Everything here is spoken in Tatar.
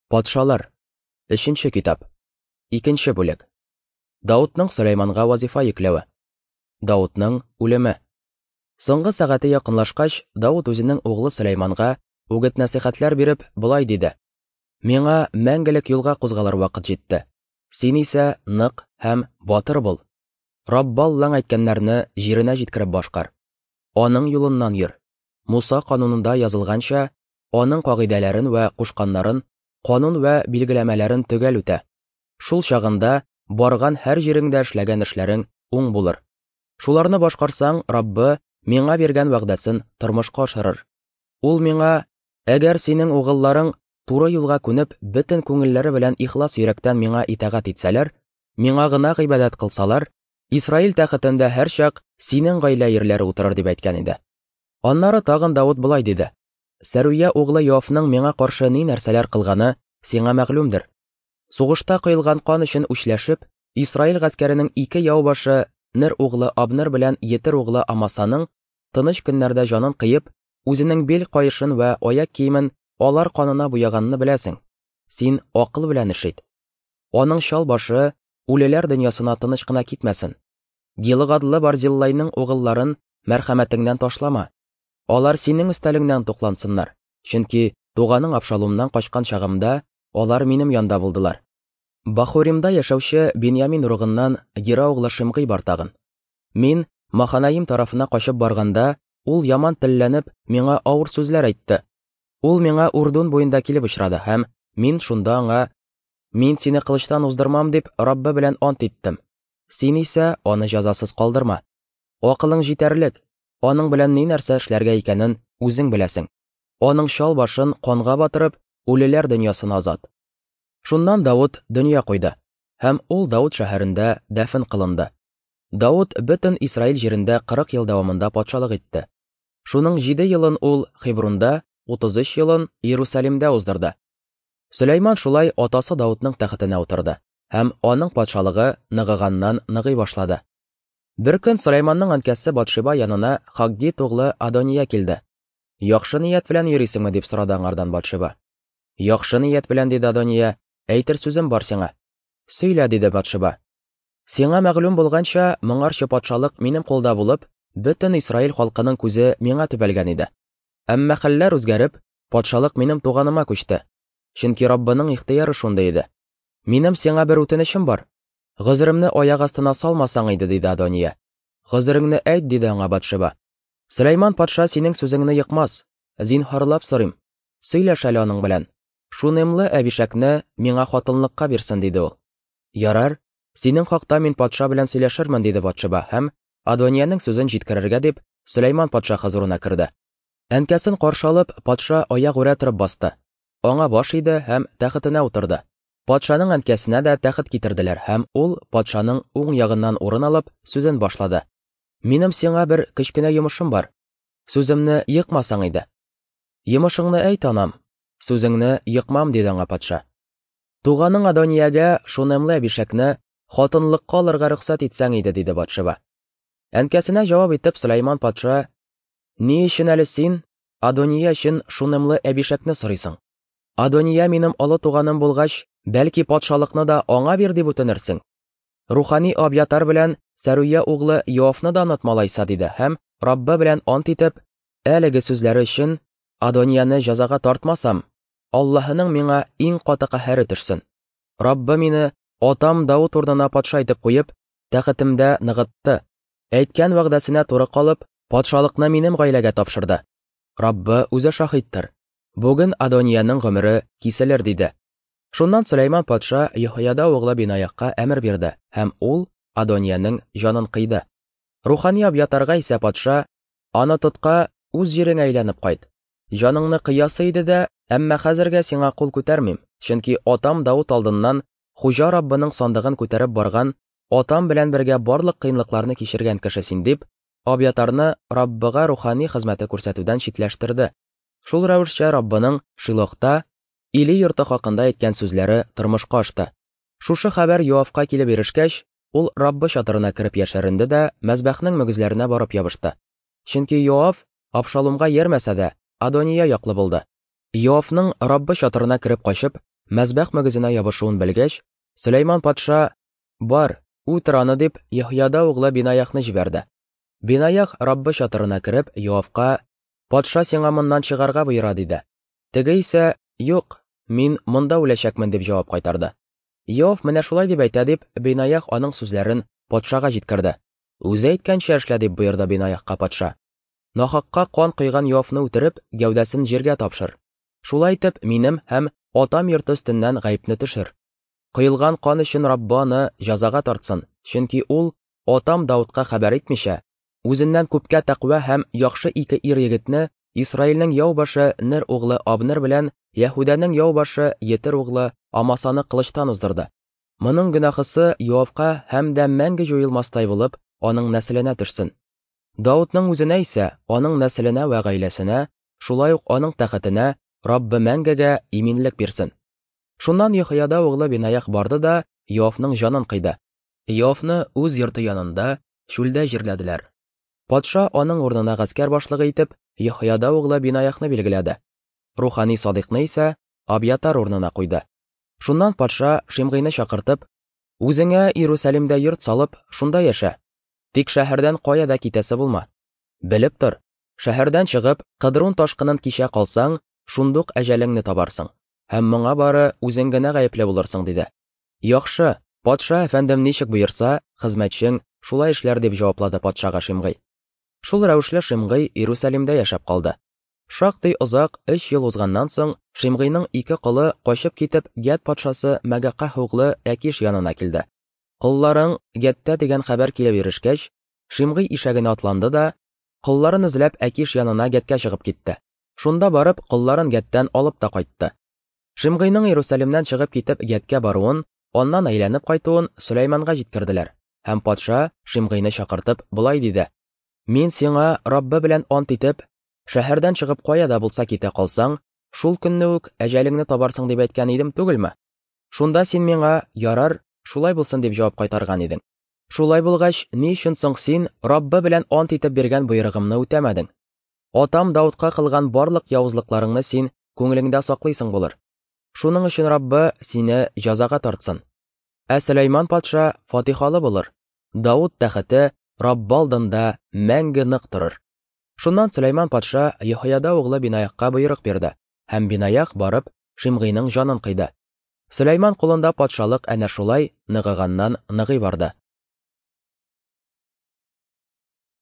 Патшалар. Өченче китап. Икенче бүлек. Даутның Сөләйманга вазифа йөкләве. Даутның үлеме. Соңгы сәгате якынлашкач, Даут үзенең углы Сөләйманга үгет-нәсыйхәтләр биреп, болай диде: Миңа мәңгелек юлга кузгалыр вакыт җитте. Син исә нык һәм батыр бул. Раббы Аллаң әйткәннәрне җиренә җиткереп башкар. Аның юлыннан йөр. Муса канунында язылганча, аның кагыйдәләрен вә кушканнарын, канун вә билгеләмәләрен төгәл үтә. Шул чагында барган һәр җиреңдә эшләгән эшләрең уң булыр. Шуларны башкарсаң, Раббы миңа биргән вәгъдәсен тормышка ашырыр. Ул миңа, әгәр синең угылларың туры юлга күнеп, бөтен күңелләре белән ихлас йөрәктән миңа итагать итсәләр, миңа гына гыйбадәт кылсалар, Исраил тәхетендә һәрчак синең гаилә ирләре утырыр дип әйткән иде. Аннары тагын Давыт болай диде: Сәрүя углы Йоавның миңа каршы ни нәрсәләр кылганы сиңа мәгълүмдер. Сугышта коелган кан өчен үчләшеп, Исраил гаскәренең ике яу башы Нер углы Абнер белән Етер углы Амасаның тыныч көннәрдә җанын кыеп, үзенең бил каешын вә аяк киемен алар канына буяганны беләсең. Син акыл белән эш ит. Аның чал башы үлеләр дөньясына тыныч кына китмәсен. Гилыгадлы Барзиллайның угылларын мәрхәмәтеңнән ташлама. Алар синең өстәлеңнән туклансыннар, чөнки туганың Абшалумнан качкан чагымда алар минем янда булдылар. Бахуримда яшәүче Беньямин ыругыннан Гера углы Шимгый бар тагын. Мин Маханаим тарафына качып барганда, ул яман телләнеп, миңа авыр сүзләр әйтте. Ул миңа Урдун буенда килеп очрады һәм мин шунда аңа: Мин сине кылычтан уздырмам дип, Раббы белән ант иттем. Син исә аны җәзасыз калдырма. Акылың җитәрлек, аның белән ни нәрсә эшләргә икәнен үзең беләсең. Аның чал башын канга батырып, үлеләр дөньясына озат. Шуннан Давыт дөнья куйды, һәм ул Давыт шәһәрендә дәфен кылынды. Давыт бөтен Исраил җирендә 40 ел дәвамында патшалык итте. Шуның 7 елын ул Хебрунда, 33 елын Иерусалимдә уздырды. Сөләйман шулай атасы Давытның тәхетенә утырды, һәм аның патшалыгы ныгыганнан ныгый башлады. Беркөн Сөләйманның әнкәсе Батшиба янына Хаггит углы Адония килде. Яхшы ният белән йөрисеңме, дип сорады аңардан Батшиба. Яхшы ният белән, диде Адония, әйтер сүзем бар сиңа. Сөйлә, диде Батшиба. Сиңа мәгълүм булганча, моңарчы патшалык минем кулда булып, бөтен Исраил халкының күзе миңа төбәлгән иде. Әмма хәлләр үзгәреп, патшалык минем туганыма күчте. Чөнки Раббының ихтыяры шундый иде. Минем сиңа бер үтенечем бар. Гозеремне аяк астына салмасаң иде, диде Адония. Гозереңне әйт, диде аңа Батшеба. Сөләйман патша синең сүзеңне екмас. Зинһарлап сорыйм. Сөйләш әле аның белән. Шунемлы Әбишәкне миңа хатынлыкка бирсен, диде ул. Ярар, синең хакта мин патша белән сөйләшермен, диде Батшеба һәм Адониянең сүзен җиткерергә дип Сөләйман патша хозурына керде. Әнкәсен каршы алып, патша аягүрә торып басты. Аңа баш иде һәм тәхетенә утырды. Патшаның әнкәсенә дә тәхет китерделәр һәм ул патшаның уң ягыннан урын алып, сүзен башлады. Минем сиңа бер кечкенә йомышым бар. Сүземне екмасаң иде. Йомышыңны әйт, анам. Сүзеңне екмам, диде аңа патша. Туганың Адониягә Шунемлы Әбишәкне хатынлыкка алырга рөхсәт итсәң иде, диде Батшеба. Әнкәсенә җавап итеп Сөләйман патша, Ни өчен әле син Адония өчен Шунемлы Әбишәкне сорыйсың? Адония минем олы туганым булгач, бәлки патшалыкны да аңа бир дип үтенерсең. Рухани Абьятар белән Сәрүя углы Йоавны да онытма алайса, диде һәм Раббы белән ант итеп, әлеге сүзләре өчен Адонияне җәзага тартмасам, Аллаһының миңа иң каты каһәре төшсен. Раббы мине атам Давыт урынына патша итеп куеп, тәхетемдә ныгытты. Әйткән вәгъдәсенә туры калып, патшалыкны минем гаиләгә тапшырды. Раббы үзе шаһиттыр. Бүген Адониянең гомере киселер, диде. Шуннан Сөләйман патша Йоһояда углы Бинаякка әмер бирде, һәм ул Адониянең җанын кыйды. Рухани Абьятарга исә патша, Аны тотка, үз җиреңә әйләнеп кайт. Җаныңны кыясы иде дә, әмма хәзергә сиңа кул күтәрмим, чөнки атам Давыт алдыннан Хуҗа Раббының сандыгын күтәреп барган, атам белән бергә барлык кыенлыкларны кичергән кеше син, дип, Абьятарны Раббыга рухани хезмәте күрсәтүдән читләштерде. Шул рәвешчә Раббының Шилохта Или йорты хакында әйткән сүзләре тормышка ашты. Шушы хәбәр Йоавка килеп ирешкәч, ул Раббы чатырына кереп яшеренде дә мәзбәхнең мөгезләренә барып ябышты. Чөнки Йоав Абшалумга иярмәсә дә, Адония яклы булды. Йоавның Раббы чатырына кереп качып, мәзбәх мөгезенә ябышуын белгәч, Сөләйман патша, Бар, үтер аны, дип, Еһояда углы Бинаяхны җибәрде. Бинаях Раббы чатырына кереп, Йоавка, Патша сиңа моннан чыгарга боера, диде. Теге исә, Юк, мин монда үләчәкмен, дип җавап кайтарды. Йоав менә шулай дип әйтә, дип, Бинаях аның сүзләрен патшага җиткерде. Үзе әйткәнчә эшлә, дип боерды Бинаяхка патша. Нахакка кан койган Йоавны үтереп, гәүдәсен җиргә тапшыр. Шулай итеп, минем һәм атам йорты өстеннән гаепне төшер. Коелган кан өчен Раббы аны җәзага тартсын, чөнки ул, атам Даудка хәбәр итмичә, үзеннән күпкә тәкъва һәм яхшы ике ир-егетне Исраилнең яу башы Нер углы Абнер белән Яһүдәнең яу башы Етер углы Амасаны кылычтан уздырды. Моның гөнаһысы Йоавка һәм дә мәңге җуелмастай булып, аның нәселенә төшсен. Даудның үзенә исә, аның нәселенә вә гаиләсенә, шулай ук аның тәхетенә Раббы мәңгегә иминлек бирсен. Шуннан Еһояда углы Бенаях барды да Йоавның җанын кыйды. Йоавны үз йорты янында чүлдә җирләделәр. Патша аның урынына гаскәр башлыгы итеп Еһояда углы Бинаяхны билгеләде. Рухани Садыйкны исә Абьятар урынына куйды. Шуннан патша Шимгыйны чакыртып, Үзеңә Иерусалимдә йорт салып, шунда яшә. Тик шәһәрдән кая да китәсе булма. Белеп тор, шәһәрдән чыгып, Кыдрун ташкынын кичә калсаң, шундук әҗәлеңне табарсың. Һәм моңа бары үзең генә гаепле булырсың, диде. Яхшы, патша әфәндем ничек боерса, хезмәтчең шулай эшләр, дип җаваплады патшага Шимгый. Шул рәвешле Шимгый Иерусалимдә яшәп калды. Шактый озак, өч ел узганнан соң, Шимгыйның ике колы, качып китеп, Гәт патшасы Мәгакаһ углы Әкиш янына килде. Колларың Гәттә дигән хәбәр килеп ирешкәч, Шимгый ишәгенә атланды да, колларын эзләп Әкиш янына Гәткә чыгып китте. Шунда барып, колларын Гәттән алып та кайтты. Шимгыйның Иерусалимнән чыгып китеп Гәткә баруын, аннан әйләнеп кайтуын Сөләйманга җиткерделәр, һәм патша, Шимгыйны чакыртып, болай диде, Мин сиңа Раббы белән ант итеп, шәһәрдән чыгып кая да булса китә калсаң, шул көнне үк әҗәлеңне табарсың дип әйткән идем түгелме? Шунда син миңа, ярар, шулай булсын дип җавап кайтарган идең. Шулай булгач, ни өчен соң син Раббы белән ант итеп биргән боерыгымны үтәмәдең? Атам Даудка кылган барлык явызлыкларыңны син күңелеңдә саклыйсың булыр. Шуның өчен Раббы сине җәзага тартсын. Ә Сөләйман патша фатихалы булыр. Дауд тәхете Раббы алдында мәңге нык торыр. Шуннан Сөләйман патша Еһояда углы Бинаякка боерык бирде, һәм Бинаях барып Шимгыйның җанын кыйды. Сөләйман кулында патшалык әнә шулай ныгыганнан ныгый барды.